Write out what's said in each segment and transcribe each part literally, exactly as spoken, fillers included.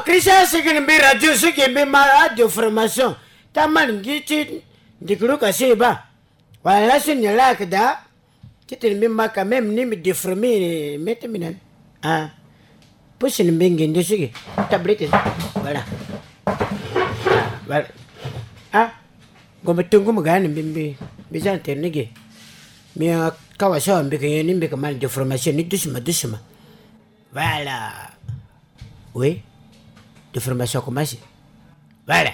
Christian, si gi ni mbi radio, si gi mbi ma a déformation. Ti aman gi ti ndikulu ka si e baa. Wala laso ni laa ayeke daa. Titene mbi ma quand même ni mbi déformer mete mbi na ni. Ah. Pusi ni mbi ngindu sigi. Tablette. Voilà. Ah, voilà. Ah. Ngombe tungu mu ga ni mbi mbi. Mbi za na tere ni ge. Mbi, ah, kawa so mbi ke nyen ni mbi ke ma ni déformation ni doucement, doucement. Voilà. Oui. Déformation a commencé. Voilà.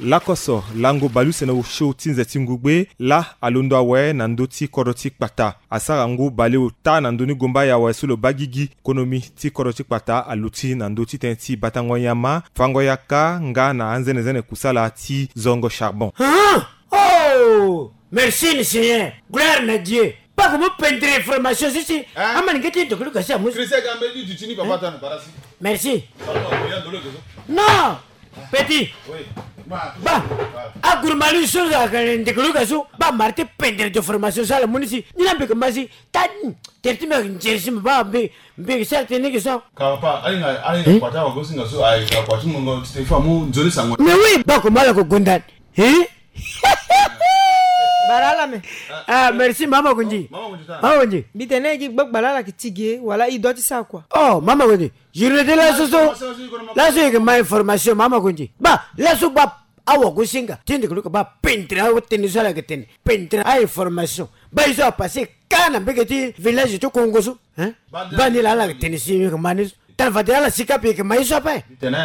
Lakoso lango baleusene osio ti nze ti ngugbe laa alondo awe na ndö ti kodro ti kpata. Asara ngu baleota na ndö ni gomba ya awe so lo baa gigi. Konomi ti kodro ti kpata aluti na ndö ti tënë ti batango nyama, fango yaka nga na anzenezene kusala ti zongo charbon. Hein? Oh! Merci le Seigneur. Gloire na Dieu. Pas comme pendre information si si. Hein? Ama ni nge ti ndokulu kasi amusu. Christian Gambe, du tini papa tana barasi. Merci. Pardon, il y a de l'eau dedans. Non. Petit. Oui. Ba. Agurumali so za ka ndokulu kasu. Ba marti pendre de formation sala munisi. Ni na mbi ke masi. Ta. Terti mbi nzerisi mbi ba mbi. Mbi ke sara tene ke so. Kapa, alinga, alinga kwata wa gosinga so, alinga kwata mungo ti te fa mu nzoni sango. Mais oui, ba ko mala ko gonda. Hein? Balala me. Ah, merci, mama Kunji. Mama Kunji ta. Mama Kunji. Mbi tene gi gbagba lala ki tige, wala i doit ti sa quoi. Oh, mama Kunji. Journée de laso so. Laso yeke ma information, mama Kunji. Ba, laso ba, awa gosinga. Tindi kulu ka ba, pendre, awa tene so ala ke tene. Pendre, a information. Ba, i so a passé, ka na mbege ti village ti Kongo so. Hein? Ba, ni la ala ke tene si, yeke ma ni so. Tala fade ala sika mpe yeke ma ye so ape. Tene.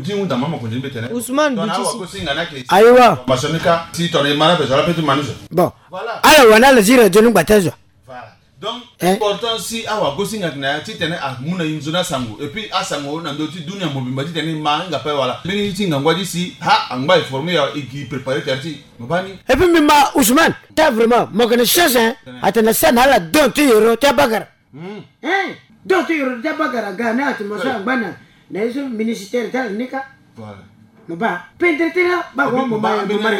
Ti hunda mama Kunji mbi tene. Ousmane Buti si. Ayiwa. Masoni ka si tongana e ma na mpe so ala mpe ti ma ni so. Bon. Voilà. Ala wani ala zi radio ni ngba ti azo. Voilà. Donc, eh? Important si awa gosinga na ya titene amu na e nzoni asango. Et puis asango na ndö ti dunia mobimba titene e ma hinga ape wala. Mbeni ti ngangu adi si ha angba e former ya e gi préparer tere ti. Mo baa ni. Et puis mbi ma Ousmane. Ta vraiment mo yeke na chance hein. Tene. Atene asara na ala don ti yoro ti abakara. Hmm. Hein? Donc ti yoro ti abakara ga na atmosphere angba na, na ye so ministère ti ala ni ka. Voilà. Mo baa, pendre ti la, ba ko mo ma, mo ma,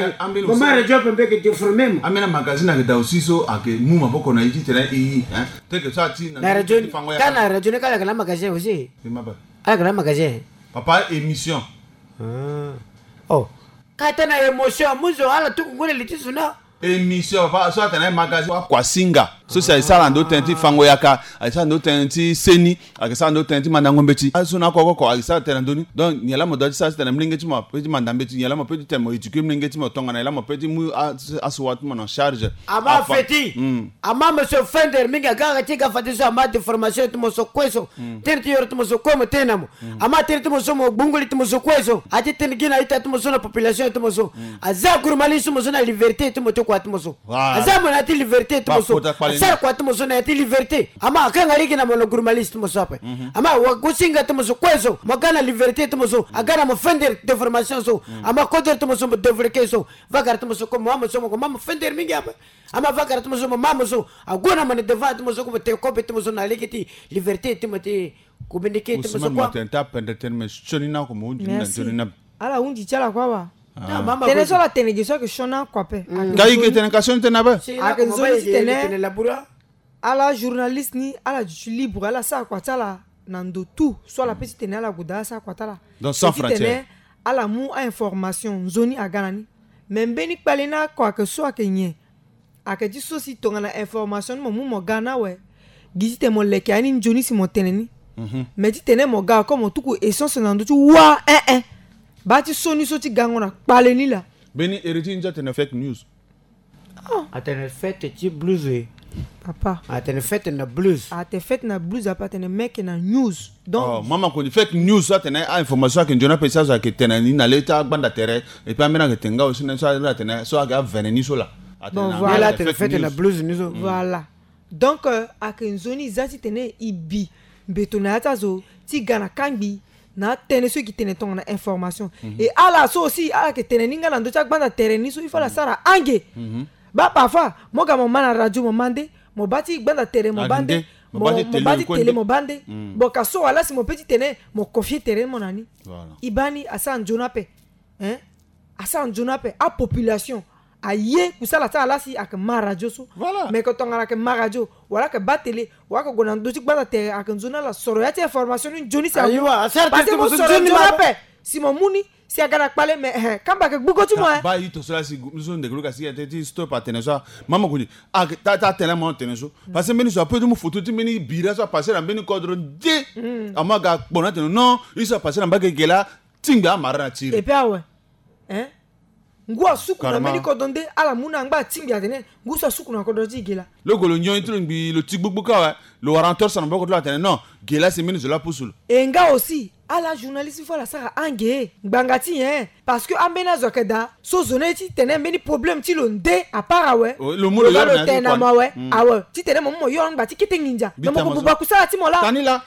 mo ma radio mpe mbi yeke déformer mo. Ambeni magazine ayeke daa aussi so ayeke mu maboko na e titene e, hein? Teke so ati na radio ni, ka na radio ni ka ala yeke na magazine aussi. Ala yeke na magazine. Papa émission. Ah. Oh. Ka tene na émotion, mu zo ala tuku ngoi na li ti zo na. Émission, papa, so atene magazine. Akua singa. So si ayeke sara na ndö tënë ti fango yaka, ayeke sara na ndö tënë ti seni, ayeke sara na ndö tënë ti mandango mbeti. Azo na oko oko ayeke sara tënë na ndö ni. Donc nyen laa mo doit ti sara titene molenge ti mo apeut ti manda mbeti, nyen laa mo peut titene mo éduquer molenge ti mo tongana nyen laa mo peut ti mu a, asuwa ti mo na charge. Ama feti. Ama mo so fender mingi aga aga ti ga fade so ama déformation ti mo so kue so. Tënë ti yoro ti mo so kue mo tene na mo. Ama tënë ti mo so mo gbungu li ti mo so kue so. A ti tene gi na ita ti mo so na population ti mo so. Aza gurumali ti mo so na liberté ti mo ti kua ti mo so. Aza mo na ya ti liberté ti mo so. Asara kua ti mo so na ya ti liberté. Ama akanga lege na mo na gurumali ti mo so ape. Ama wa gosinga ti mo so kue so. Mo ga na liberté ti mo so. Aga na mo fender déformation so. Ama kodro ti mo so mo développé so. Vagara ti mo so kue mo ma mo so mo ko ma mo fender mingi ape. Ama vagara ti mo so mo ma mo so. Ague na mo na devant ti mo so kue mo tene kobe ti mo so na lege ti liberté ti mo ti. Communiqué ti mo so kua. Ousmane, mo tene ta pendre tënë me sioni na oko mo hundi ni na nzoni na. Ala hundi ti ala kua wa. Tënë so ala tene ge so ayeke sioni na oko ape. Ka i ke tene ka sioni tënë ape. Ayeke nzoni ti tene. Ala journaliste ni ala duti libre ala sara kua ti ala na ndo tout so ala peut ti tene ala gue daa ala sara kua ti ala. Donc sans frontière. Ala mu a-information nzoni aga na ni. Me mbeni kpale ni oko ayeke so ayeke nyen? Ayeke ti so si tongana information ni mo mu mo ga na awe. Gi titene mo leke ya ni nzoni si mo tene ni. Me titene mo ga oko mo tuku essence na ndö ti wâ, eh eh. Baa ti so ni so ti gango na kpale ni laa. Mbeni iri ti ndia atene fake news. Atene fête ti blues e. Papa. Atene fête na blues. Atene fête na blues ape atene meke na news. Donc mama koni fake news so atene a-information ayeke nzoni ape si azo ayeke tene ni na le ti agbanda tere. Et puis ambeni ayeke tene nga aussi na ni so atene so ayeke avene ni so laa. Atene na nga atene fête na blues ni so. Voilà. Donc ayeke nzoni e za titene e bi mbeto na ya ti azo ti ga na kangbi na atënë so e yeke tene tongana information. Et ala so aussi ala yeke tene ni nga na ndö ti agbanda tere ni so il faut ala sara ange. Baa parfois mo ga mo ma na radio mo ma nde, mo baa ti gbanda tere mo baa nde, mo baa ti télé mo baa nde. Bon ka so wala si mo peut ti tene mo confier tere ni mo na ni. E baa ni asara nzoni ape. Hein? Asara nzoni ape apopulation. Aye kusala ti ala si ayeke ma radio so. Voilà. Mais que tongana ayeke ma radio, wala ayeke baa télé, wala ayeke gue na ndö ti gbata tere, ayeke nzoni ala soro ya ti information ni nzoni si amu. Ayiwa, asara tene ti mo so soro nzoni nzoni ma ape. Si mo mu ni, si aga na kpale, mais, eh, kamba ayeke gbugo ti mo, eh. Baa ito so la si gu-, so ndeke luka si ete ti stop atene so, ah, mama koni, ah, ta, ta tene mo tene so. Parce que mbeni so ape ti mu foto ti mbeni bira so apase na mbeni kodro nde. Amu aga kpo na atene non, ye so apase na mbage ge la, tingbi amara na ti iri. Et puis awe. Hein? Ngu asuku na mbeni kodro nde, ala mu na angba atingbi atene ngu so asuku na kodro ti ge la. Lo gue lo nyon ye ti lo ngbii, lo ti gbugbu kâ awe, lo wara na torse na maboko ti lo atene non, ge la si mbeni zo la apusu lo. E nga aussi, ala journaliste fo ala sara ange ngbanga ti nyen? Parce que ambeni azo ayeke daa so zo ni ti tene mbeni problème ti lo nde apart awe. Lo mu lo ga yoro lo na ya ti tene na mo awe. Awe, ti tene mo mu mo yoro ngba ti kete nginza. Mais mo ko buba kusala ti mo la.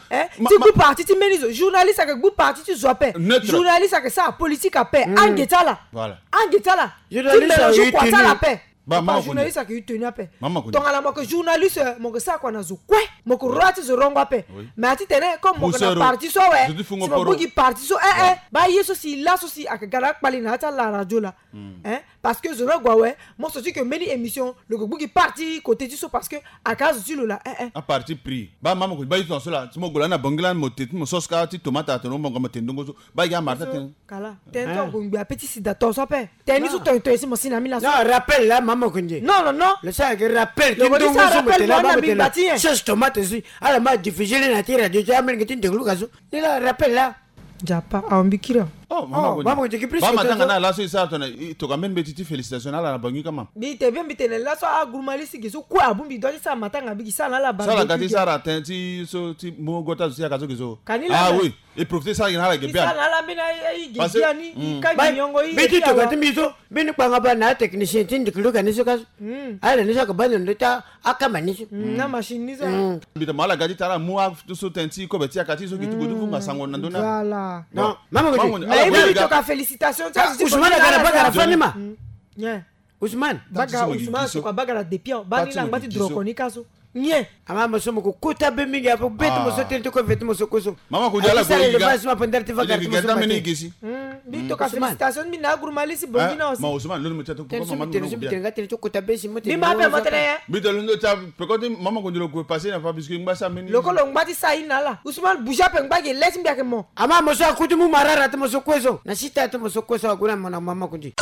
Hein? Ti gbu parti ti mbeni zo. Journaliste ayeke gbu parti ti zo ape. Neutre. Journaliste ayeke sara politique ape. Ange ti ala. Voilà. Ange ti ala. Journaliste ti mbeni zo ayeke kua ti ala ape. Ba, mama koni. Journaliste ayeke yu tenue ape. Mama koni. Tongana mo yeke journaliste, mo yeke sara kua na zo kue. Mo yeke rola ti zo rongo ape. Oui. Mais ati tene comme mo yeke na parti so awe, si mo bongbi parti so, eh, eh, baa ye so si laso si ayeke ga na akpali na ya ti ala radio la. Hein? Parce que zo ni ague awe, mo so ti yeke mbeni émission, lo yeke bongbi parti côté ti so parce que ayeke azo ti lo la, eh, eh. Aparti pris. Baa mama koni, baa ye ti tongana so la, si mo gue lani na Bangui lani mo te ti mo soska ti tomate atene mo bonga mo te ndongo so. Baa ye amara ti atene. Kala. Tënë ti ongongbi ape ti sida tongaso ape. Tënë ni so tongaso tongaso si mo si na ambeni laso. Non, rappel la, mama koni. Non, non, non. Lo sara yeke rappel ti ndongo so mo tene na bango tene. Sauce tomate si ala ma diffuser ni na ti radio ti amolenge ti ndeke luka so. Ni la rappel la. Nzapa, awa mbi kiri. Oh, mama koni. Mama koni, plus que matanga na laso e sara tongana e toka mbeni mbeti ti félicitation na ala na Bangui kama. Mbi te bien, mbi tene laso aguruma lisi gi so kue abongbi dua ti sara matanga, mbi gi sara na ala barbecue. Sara ga ti sara tënë ti so ti mo gota zo ti yaka so gi so. Kani la. Ah oui. E profiter sara gi na ala ge bien. Sara na ala mbeni aye ge bien ni, i ka gi nyongo i. Mbi ti toka ti mbi so, mbeni kpanga ba na atechnicien ti ndeke luka ni so ka so. Ala ni so ayeke baa ndo ndo ti akamba ni so. Na machine ni so. Mbi ta mo ala ga ti tara mu aso tënë ti kobe ti yaka ti so gi ti gue ti vunga sango na ndö ni. Voilà. Non. Mama koni. Na ye mbi toka félicitation ti azo ti Ousmane aga na bagara fani ma. Ousmane. Bagara Ousmane so kua bagara depuis awa. Baa ni la ngba ti droko ni ka so. Nyen? Ama mo so mo ko kota be mingi apo be ti mo so tënë ti kue ve ti mo so kue so. Mama koni ala sara élevage ma pendere ti vagara ti mo so mate. Mbi toka félicitation mbi na aguruma lisi bongi na osi. Ma Ousmane, lo ni mo tia to koko mama mo tene so mbi tene nga tene ti kota be si mo tene. Mbi ma ape mo tene ye. Mbi tene lo ni tia peko ti mama koni lo gue passer na fa biscuit ngba sa meni. Lo ko lo ngba ti sa ye na ala. Ousmane bouger ape ngba ge le ti mbi ayeke mo. Ama mo so akuti mu marara ti mo so kue so. Na sita ti mo so kue so ague na mo na mama koni.